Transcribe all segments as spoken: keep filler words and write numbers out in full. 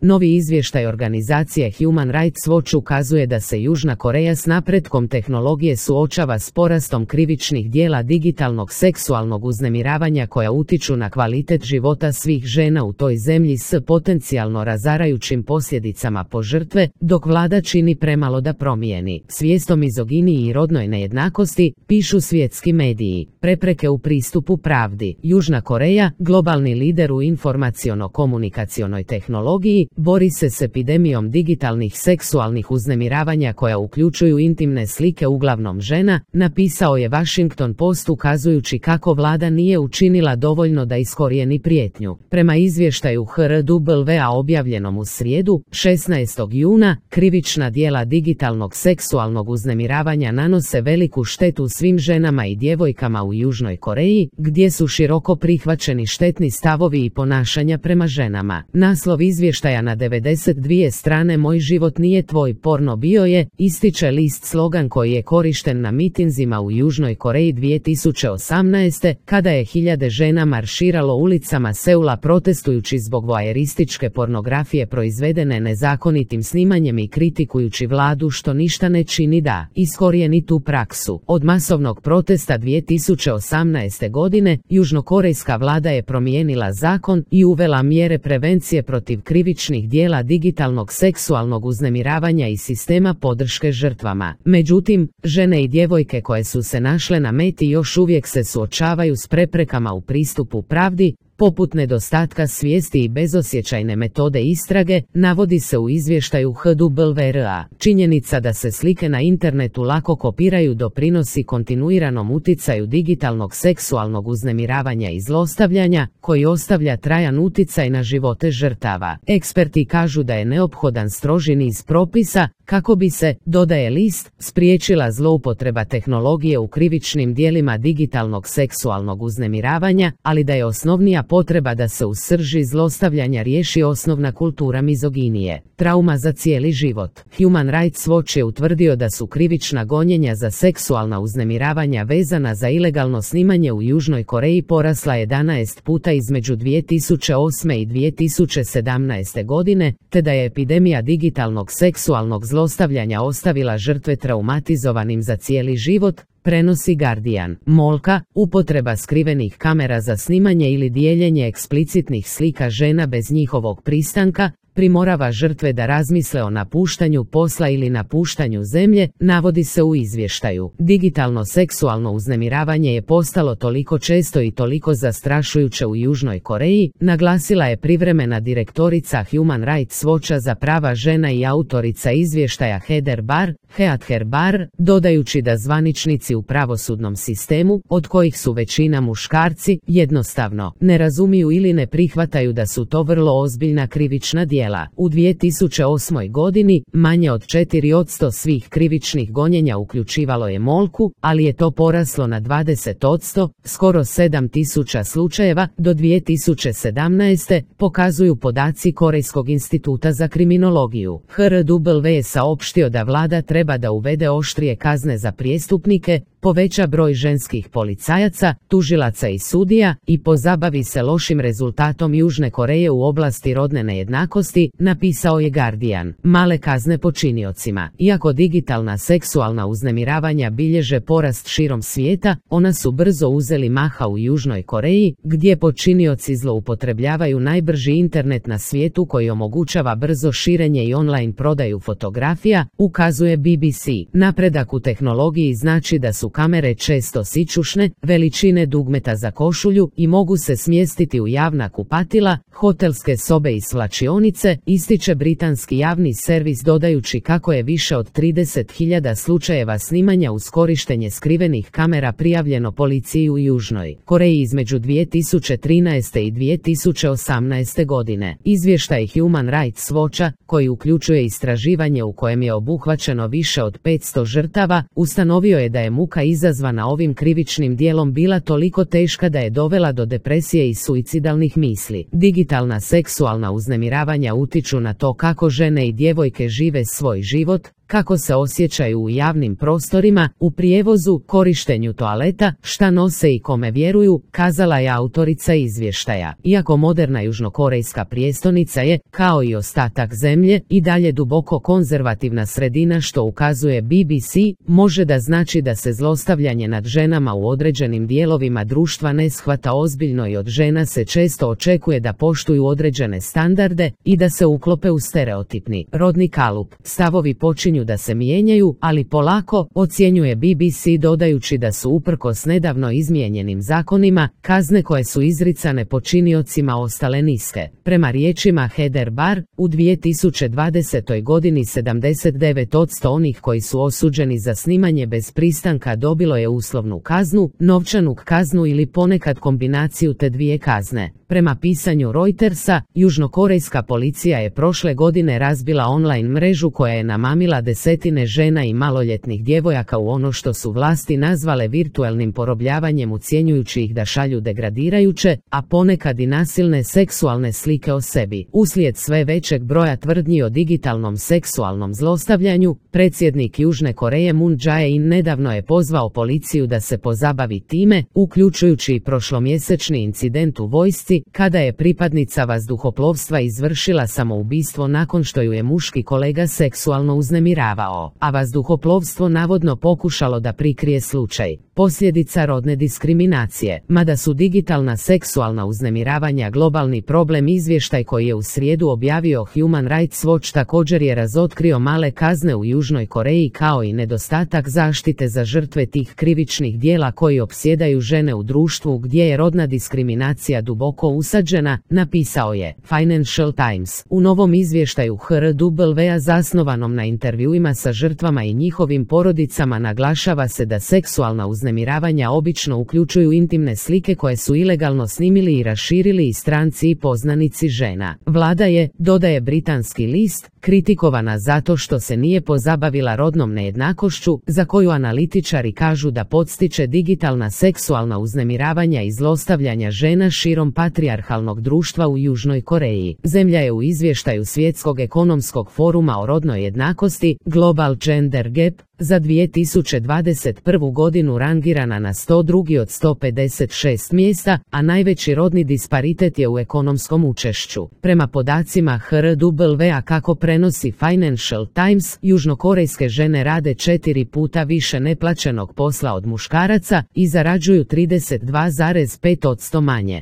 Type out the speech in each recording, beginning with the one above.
Novi izvještaj organizacije Human Rights Watch ukazuje da se Južna Koreja s napretkom tehnologije suočava s porastom krivičnih djela digitalnog seksualnog uznemiravanja koja utiču na kvalitet života svih žena u toj zemlji s potencijalno razarajućim posljedicama po žrtve, dok vlada čini premalo da promijeni svijest o mizoginiji i rodnoj nejednakosti, pišu svjetski mediji. Prepreke u pristupu pravdi. Južna Koreja, globalni lider u informaciono-komunikacionoj tehnologiji, bori se s epidemijom digitalnih seksualnih uznemiravanja koja uključuju intimne slike uglavnom žena, napisao je Washington Post ukazujući kako vlada nije učinila dovoljno da iskorijeni prijetnju. Prema izvještaju H R W A objavljenom u srijedu, šesnaestog juna, krivična djela digitalnog seksualnog uznemiravanja nanose veliku štetu svim ženama i djevojkama u Južnoj Koreji, gdje su široko prihvaćeni štetni stavovi i ponašanja prema ženama. Naslov izvještaja na devedeset dvije strane Moj život nije tvoj porno bio je, ističe list slogan koji je korišten na mitinzima u Južnoj Koreji dvije tisuće osamnaeste. kada je hiljade žena marširalo ulicama Seula protestujući zbog voajerističke pornografije proizvedene nezakonitim snimanjem i kritikujući vladu što ništa ne čini da iskorijeni tu praksu. Od masovnog protesta dvije tisuće osamnaeste. godine, južnokorejska vlada je promijenila zakon i uvela mjere prevencije protiv krivičnih djela digitalnog seksualnog uznemiravanja i sistema podrške žrtvama. Međutim, žene i djevojke koje su se našle na meti još uvijek se suočavaju s preprekama u pristupu pravdi, poput nedostatka svijesti i bezosjećajne metode istrage, navodi se u izvještaju H W R A. Činjenica da se slike na internetu lako kopiraju doprinosi kontinuiranom uticaju digitalnog seksualnog uznemiravanja i zlostavljanja, koji ostavlja trajan uticaj na živote žrtava. Eksperti kažu da je neophodan stroži niz propisa, kako bi se, dodaje list, spriječila zloupotreba tehnologije u krivičnim djelima digitalnog seksualnog uznemiravanja, ali da je osnovnija potreba da se u srži zlostavljanja riješi osnovna kultura mizoginije. Trauma za cijeli život. Human Rights Watch je utvrdio da su krivična gonjenja za seksualna uznemiravanja vezana za ilegalno snimanje u Južnoj Koreji porasla jedanaest puta između dvije tisuće osme i dvije tisuće sedamnaeste. godine, te da je epidemija digitalnog seksualnog zlostavljanja ostavila žrtve traumatizovanim za cijeli život, prenosi Guardian. Molka, upotreba skrivenih kamera za snimanje ili dijeljenje eksplicitnih slika žena bez njihovog pristanka, primorava žrtve da razmisle o napuštanju posla ili napuštanju zemlje, navodi se u izvještaju. Digitalno seksualno uznemiravanje je postalo toliko često i toliko zastrašujuće u Južnoj Koreji, naglasila je privremena direktorica Human Rights Watcha za prava žena i autorica izvještaja Heather Barr, Heather Barr, dodajući da zvaničnici u pravosudnom sistemu, od kojih su većina muškarci, jednostavno ne razumiju ili ne prihvataju da su to vrlo ozbiljna krivična djela. U dvije tisuće osmoj. godini, manje od četiri posto svih krivičnih gonjenja uključivalo je molku, ali je to poraslo na dvadeset posto, skoro sedam tisuća slučajeva, do dvije tisuće sedamnaeste. pokazuju podaci Korejskog instituta za kriminologiju. H R W je saopštio da vlada treba da uvede oštrije kazne za prijestupnike, poveća broj ženskih policajaca, tužilaca i sudija i pozabavi se lošim rezultatom Južne Koreje u oblasti rodne nejednakosti, napisao je Guardian. Male kazne počiniocima. Iako digitalna seksualna uznemiravanja bilježe porast širom svijeta, ona su brzo uzeli maha u Južnoj Koreji, gdje počinioci zloupotrebljavaju najbrži internet na svijetu koji omogućava brzo širenje i online prodaju fotografija, ukazuje B B C. Napredak u tehnologiji znači da su kamere često sićušne, veličine dugmeta za košulju i mogu se smjestiti u javna kupatila, hotelske sobe i svlačionice, ističe britanski javni servis dodajući kako je više od trideset hiljada slučajeva snimanja uz korištenje skrivenih kamera prijavljeno policiji u Južnoj Koreji između dvije tisuće trinaeste i dvije tisuće osamnaeste. godine. Izvještaj Human Rights Watcha, koji uključuje istraživanje u kojem je obuhvaćeno više od petsto žrtava, ustanovio je da je muka izazvana ovim krivičnim dijelom bila toliko teška da je dovela do depresije i suicidalnih misli. Digitalna seksualna uznemiravanja utiču na to kako žene i djevojke žive svoj život, kako se osjećaju u javnim prostorima, u prijevozu, korištenju toaleta, šta nose i kome vjeruju, kazala je autorica izvještaja. Iako moderna južnokorejska prijestolnica je, kao i ostatak zemlje, i dalje duboko konzervativna sredina, što ukazuje B B C, može da znači da se zlostavljanje nad ženama u određenim dijelovima društva ne shvata ozbiljno i od žena se često očekuje da poštuju određene standarde i da se uklope u stereotipni rodni kalup. Stavovi počinju da se mijenjaju, ali polako, ocjenjuje B B C dodajući da su uprkos nedavno izmijenjenim zakonima, kazne koje su izricane počiniocima ostale niske. Prema riječima Heather Barr, u dvije tisuće dvadesetoj godini sedamdeset devet posto onih koji su osuđeni za snimanje bez pristanka dobilo je uslovnu kaznu, novčanu kaznu ili ponekad kombinaciju te dvije kazne. Prema pisanju Reutersa, južnokorejska policija je prošle godine razbila online mrežu koja je namamila desetine žena i maloljetnih djevojaka u ono što su vlasti nazvale virtualnim porobljavanjem, ucjenjujući ih da šalju degradirajuće, a ponekad i nasilne seksualne slike o sebi. Uslijed sve većeg broja tvrdnji o digitalnom seksualnom zlostavljanju, predsjednik Južne Koreje Moon Jae-in nedavno je pozvao policiju da se pozabavi time, uključujući i prošlomjesečni incident u vojsci, kada je pripadnica vazduhoplovstva izvršila samoubistvo nakon što ju je muški kolega seksualno uznemiravao, a vazduhoplovstvo navodno pokušalo da prikrije slučaj. Posljedica rodne diskriminacije. Mada su digitalna seksualna uznemiravanja globalni problem, izvještaj koji je u srijedu objavio Human Rights Watch također je razotkrio male kazne u Južnoj Koreji kao i nedostatak zaštite za žrtve tih krivičnih djela koji opsjedaju žene u društvu gdje je rodna diskriminacija duboko usađena, napisao je Financial Times. U novom izvještaju H R W-a zasnovanom na intervjuima sa žrtvama i njihovim porodicama naglašava se da seksualna uznemiravanja obično uključuju intimne slike koje su ilegalno snimili i raširili i stranci i poznanici žena. Vlada je, dodaje britanski list, kritikovana zato što se nije pozabavila rodnom nejednakošću, za koju analitičari kažu da podstiče digitalna seksualna uznemiravanja i zlostavljanja žena širom patrijarhalnog društva u Južnoj Koreji. Zemlja je u izvještaju Svjetskog ekonomskog foruma o rodnoj jednakosti, Global Gender Gap, za dvije tisuće dvadeset prvu godinu rangirana na sto drugi od sto pedeset šest mjesta, a najveći rodni disparitet je u ekonomskom učešću. Prema podacima H R W-a, kako prenosi Financial Times, južnokorejske žene rade četiri puta više neplaćenog posla od muškaraca i zarađuju trideset dva zarez pet posto manje.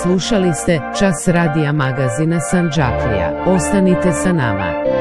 Slušali ste Čas radija magazina Sandžaklija. Ostanite sa nama.